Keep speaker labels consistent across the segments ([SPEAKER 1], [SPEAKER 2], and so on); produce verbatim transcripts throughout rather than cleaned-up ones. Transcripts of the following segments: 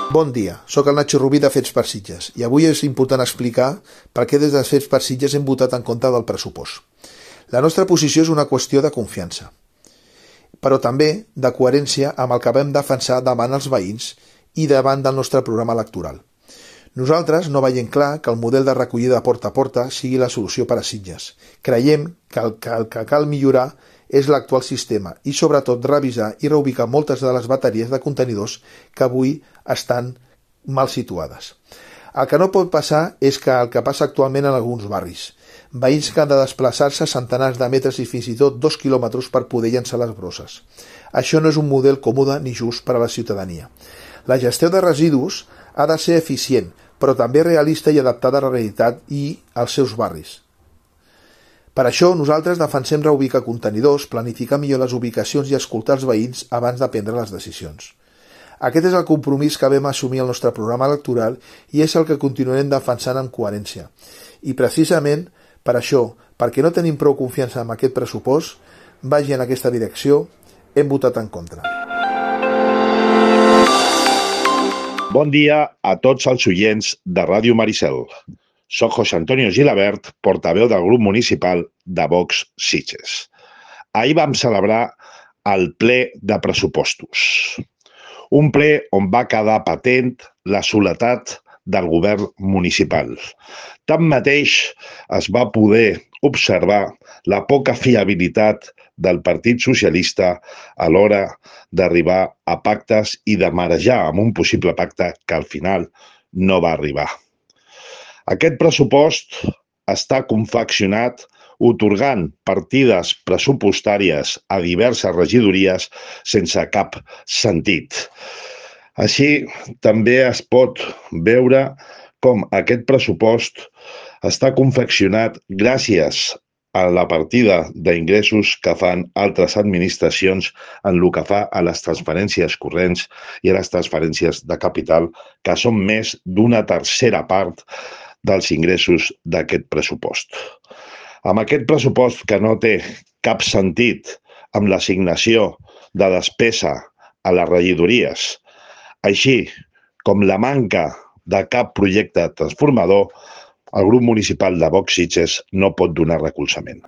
[SPEAKER 1] Bon dia, sóc el Nacho Rubí de Fets per Sitges i avui és important explicar per què des de Fets per Sitges hem votat en contra del pressupost. La nostra posició és una qüestió de confiança, però també de coherència amb el que vam defensar davant els veïns i davant del nostre programa electoral. Nosaltres no veiem clar que el model de recollida porta a porta sigui la solució per a Sitges. Creiem que el que, el que cal millorar és l'actual sistema i sobretot revisar i reubicar moltes de les bateries de contenidors que avui estan mal situades. El que no pot passar és que el que passa actualment en alguns barris. Veïns que han de desplaçar-se centenars de metres i fins i tot dos quilòmetres per poder llançar les brosses. Això no és un model còmode ni just per a la ciutadania. La gestió de residus ha de ser eficient, però també realista i adaptada a la realitat i als seus barris. Per això nosaltres defensem reubicar contenidors, planificar millor les ubicacions i escoltar els veïns abans de prendre les decisions. Aquest és el compromís que vam assumir al nostre programa electoral i és el que continuarem defensant amb coherència. I precisament per això, perquè no tenim prou confiança en aquest pressupost, vagi en aquesta direcció, hem votat en contra.
[SPEAKER 2] Bon dia a tots els oients de Ràdio Maricel. Soc José Antonio Gilabert, portaveu del grup municipal de Vox Sitges. Ahir vam celebrar el ple de pressupostos. Un ple on va quedar patent la soledat del govern municipal. Tanmateix, es va poder observar la poca fiabilitat del Partit Socialista a l'hora d'arribar a pactes i de marejar amb un possible pacte que al final no va arribar. Aquest pressupost està confeccionat atorgant partides pressupostàries a diverses regidories sense cap sentit. Així, també es pot veure com aquest pressupost està confeccionat gràcies a la partida d'ingressos que fan altres administracions en el que fa a les transferències corrents i a les transferències de capital, que són més d'una tercera part dels ingressos d'aquest pressupost. Amb aquest pressupost que no té cap sentit amb l'assignació de despesa a les regidories, així com la manca de cap projecte transformador, el grup municipal de Vox Sitges no pot donar recolzament.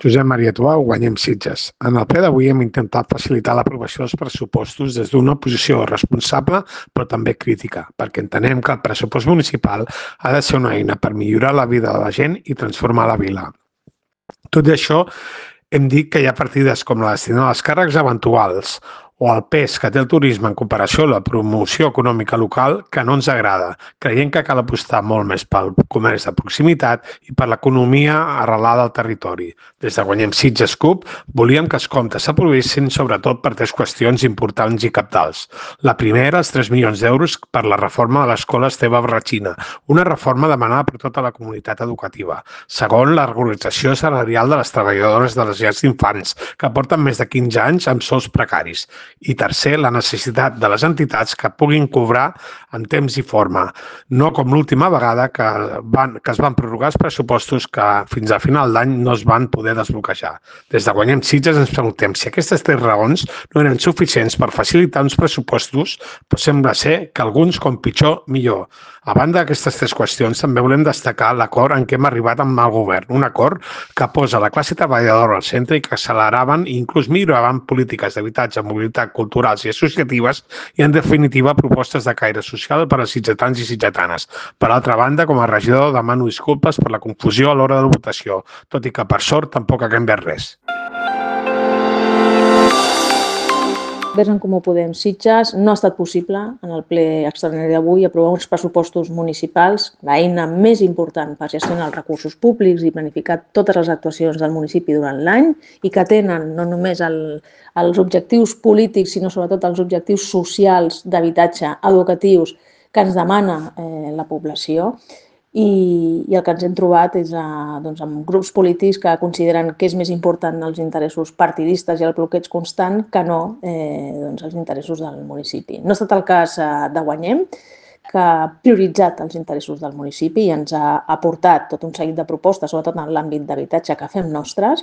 [SPEAKER 3] Josep Maria Tuau, Guanyem Sitges. En el ple d'avui hem intentat facilitar l'aprovació dels pressupostos des d'una posició responsable però també crítica, perquè entenem que el pressupost municipal ha de ser una eina per millorar la vida de la gent i transformar la vila. Tot i això, hem dit que hi ha partides com la destinada als càrrecs eventuals o el pes que té el turisme en comparació a la promoció econòmica local que no ens agrada, creient que cal apostar molt més pel comerç de proximitat i per l'economia arrelada al territori. Des de Guanyem Sitges C U P volíem que els comptes s'aprovessin sobretot per tres qüestions importants i cabdals. La primera, els tres milions d'euros per la reforma de l'escola Esteve Barratxina, una reforma demanada per tota la comunitat educativa. Segon, la regularització salarial de les treballadores de les llars d'infants, que porten més de quinze anys amb sous precaris. I tercer, la necessitat de les entitats que puguin cobrar en temps i forma, no com l'última vegada que, van, que es van prorrogar els pressupostos que fins a final d'any no es van poder desbloquejar. Des de Guanyem Sitges ens preguntem si aquestes tres raons no eren suficients per facilitar uns pressupostos, però sembla ser que alguns, com pitjor, millor. A banda d'aquestes tres qüestions, també volem destacar l'acord en què hem arribat amb el govern, un acord que posa la classe treballadora al centre i que acceleraven i inclús milloraven polítiques d'habitatge, mobilitat, culturals i associatives i, en definitiva, propostes de caire social per als sitgetans i sitgetanes. Per altra banda, com a regidor, demano disculpes per la confusió a l'hora de la votació, tot i que, per sort, tampoc ha canviat res.
[SPEAKER 4] Des d'en Comú Podem Sitges no ha estat possible en el ple extraordinari d'avui aprovar uns pressupostos municipals, l'eina més important per gestionar els recursos públics i planificar totes les actuacions del municipi durant l'any i que tenen no només el, els objectius polítics sinó sobretot els objectius socials d'habitatge, educatius que ens demana eh, la població. I, i el que ens hem trobat és a, doncs, amb grups polítics que consideren que és més important els interessos partidistes i el bloqueig constant que no eh, doncs, els interessos del municipi. No ha estat el cas eh, de Guanyem, que ha prioritzat els interessos del municipi i ens ha aportat tot un seguit de propostes, sobretot en l'àmbit d'habitatge, que fem nostres,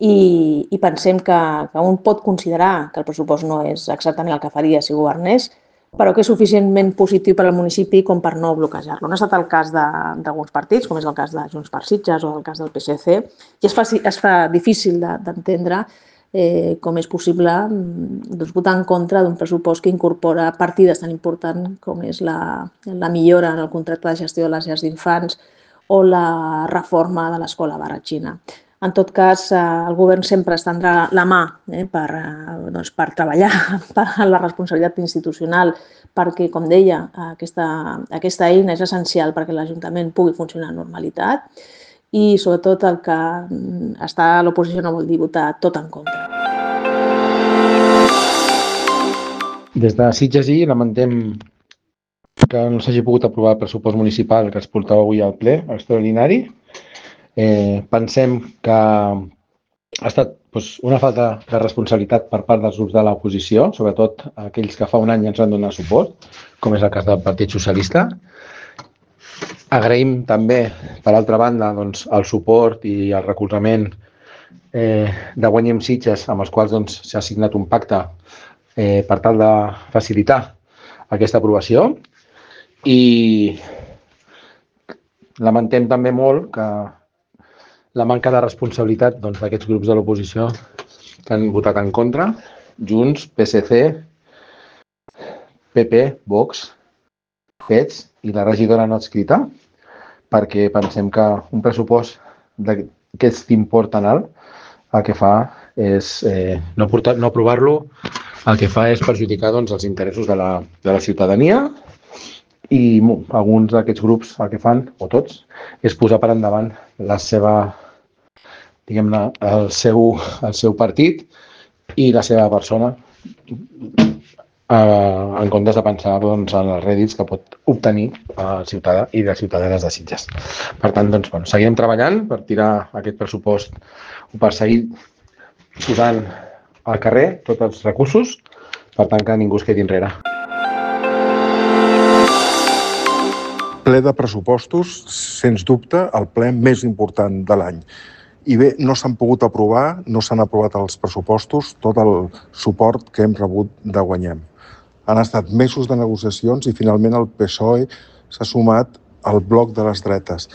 [SPEAKER 4] i, i pensem que, que un pot considerar que el pressupost no és exactament el que faria si governés, però que és suficientment positiu per al municipi com per no bloquejar-lo. No ha estat el cas d'alguns partits, com és el cas de Junts per Sitges o el cas del P S C, i es fa, es fa difícil d'entendre eh, com és possible doncs, votar en contra d'un pressupost que incorpora partides tan importants com és la, la millora en el contracte de gestió de les llars d'infants o la reforma de l'escola Barratxina. En tot cas, el govern sempre estendrà la mà eh, per, doncs, per treballar per la responsabilitat institucional, perquè, com deia, aquesta, aquesta eina és essencial perquè l'Ajuntament pugui funcionar amb normalitat i, sobretot, el que està a l'oposició no vol dir votar tot en contra.
[SPEAKER 5] Des de Sitges i lamentem que no s'hagi pogut aprovar el pressupost municipal que es portava avui al ple extraordinari. Eh, pensem que ha estat doncs, una falta de responsabilitat per part dels grups de l'oposició, sobretot aquells que fa un any ens van donar suport, com és el cas del Partit Socialista. Agraïm també, per altra banda, doncs, el suport i el recolzament eh, de Guanyem Sitges, amb els quals doncs, s'ha signat un pacte eh, per tal de facilitar aquesta aprovació. I lamentem també molt que la manca de responsabilitat doncs, d'aquests grups de l'oposició que han votat en contra, Junts, P S C, P P, Vox, P E T S i la regidora no adscrita, perquè pensem que un pressupost d'aquest import tan alt el que fa és eh, no, portar, no aprovar-lo, el que fa és perjudicar doncs, els interessos de la, de la ciutadania i alguns d'aquests grups el que fan, o tots, és posar per endavant la seva, diguem-ne, el seu, el seu partit i la seva persona eh, en comptes de pensar doncs, en els rèdits que pot obtenir el ciutadà i les ciutadanes de Sitges. Per tant, doncs, bueno, seguirem treballant per tirar aquest pressupost o per seguir posant al carrer tots els recursos per tant que ningú es quedi enrere.
[SPEAKER 6] Ple de pressupostos, sens dubte, el ple més important de l'any. I bé, no s'han pogut aprovar, no s'han aprovat els pressupostos, tot el suport que hem rebut de Guanyem. Han estat mesos de negociacions i finalment el P S O E s'ha sumat al bloc de les dretes.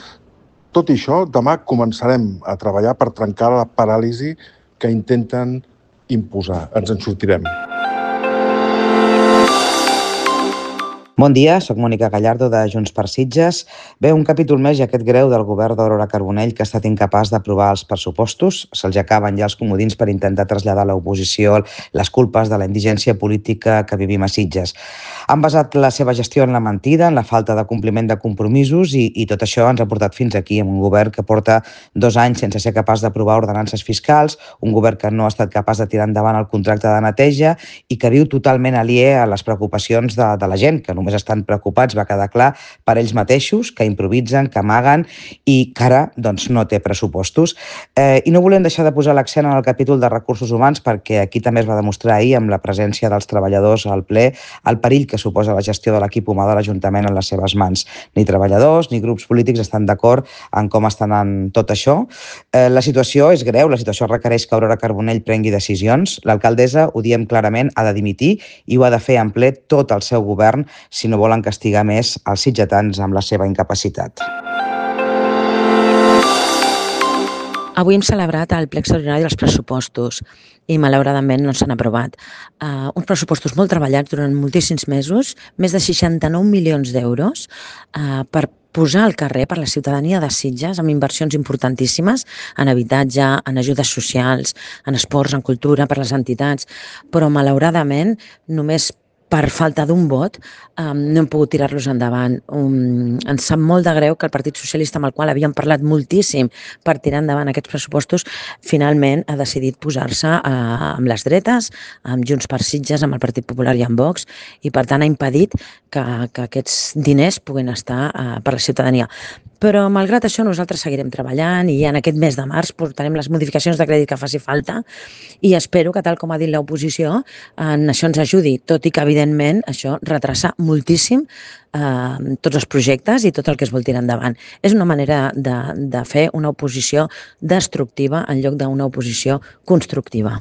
[SPEAKER 6] Tot i això, demà començarem a treballar per trencar la paràlisi que intenten imposar. Ens en sortirem.
[SPEAKER 7] Bon dia, soc Mònica Gallardo de Junts per Sitges. Bé, un capítol més i aquest greu del govern d'Aurora Carbonell que ha estat incapaç d'aprovar els pressupostos. Se'ls acaben ja els comodins per intentar traslladar a l'oposició les culpes de la indigència política que vivim a Sitges. Han basat la seva gestió en la mentida, en la falta de compliment de compromisos i, i tot això ens ha portat fins aquí, amb un govern que porta dos anys sense ser capaç d'aprovar ordenances fiscals, un govern que no ha estat capaç de tirar endavant el contracte de neteja i que viu totalment aliè a les preocupacions de, de la gent, que només estan preocupats, va quedar clar, per ells mateixos, que improvisen, que amaguen i que ara doncs, no té pressupostos. Eh, I no volem deixar de posar l'accent en el capítol de recursos humans perquè aquí també es va demostrar ahir amb la presència dels treballadors al ple el perill que suposa la gestió de l'equip humà de l'Ajuntament en les seves mans. Ni treballadors ni grups polítics estan d'acord en com estan en tot això. Eh, la situació és greu, la situació requereix que Aurora Carbonell prengui decisions. L'alcaldessa, ho diem clarament, ha de dimitir i ho ha de fer en ple tot el seu govern si no volen castigar més els sitgetans amb la seva incapacitat.
[SPEAKER 8] Avui hem celebrat el ple extraordinari dels pressupostos i malauradament no s'han aprovat. Uh, uns pressupostos molt treballats durant moltíssims mesos, més de seixanta-nou milions d'euros uh, per posar al carrer per la ciutadania de Sitges amb inversions importantíssimes en habitatge, en ajudes socials, en esports, en cultura, per les entitats, però malauradament només per falta d'un vot, um, no hem pogut tirar-los endavant. Um, ens sap molt de greu que el Partit Socialista, amb el qual havíem parlat moltíssim per tirar endavant aquests pressupostos, finalment ha decidit posar-se uh, amb les dretes, amb Junts per Sitges, amb el Partit Popular i amb Vox, i per tant ha impedit que, que aquests diners puguin estar uh, per la ciutadania. Però, malgrat això, nosaltres seguirem treballant i en aquest mes de març portarem les modificacions de crèdit que faci falta i espero que, tal com ha dit l'oposició, en això ens ajudi, tot i que, evidentment, evidentment, això retrasa moltíssim eh, tots els projectes i tot el que es vol tirar endavant. És una manera de, de fer una oposició destructiva en lloc d'una oposició constructiva.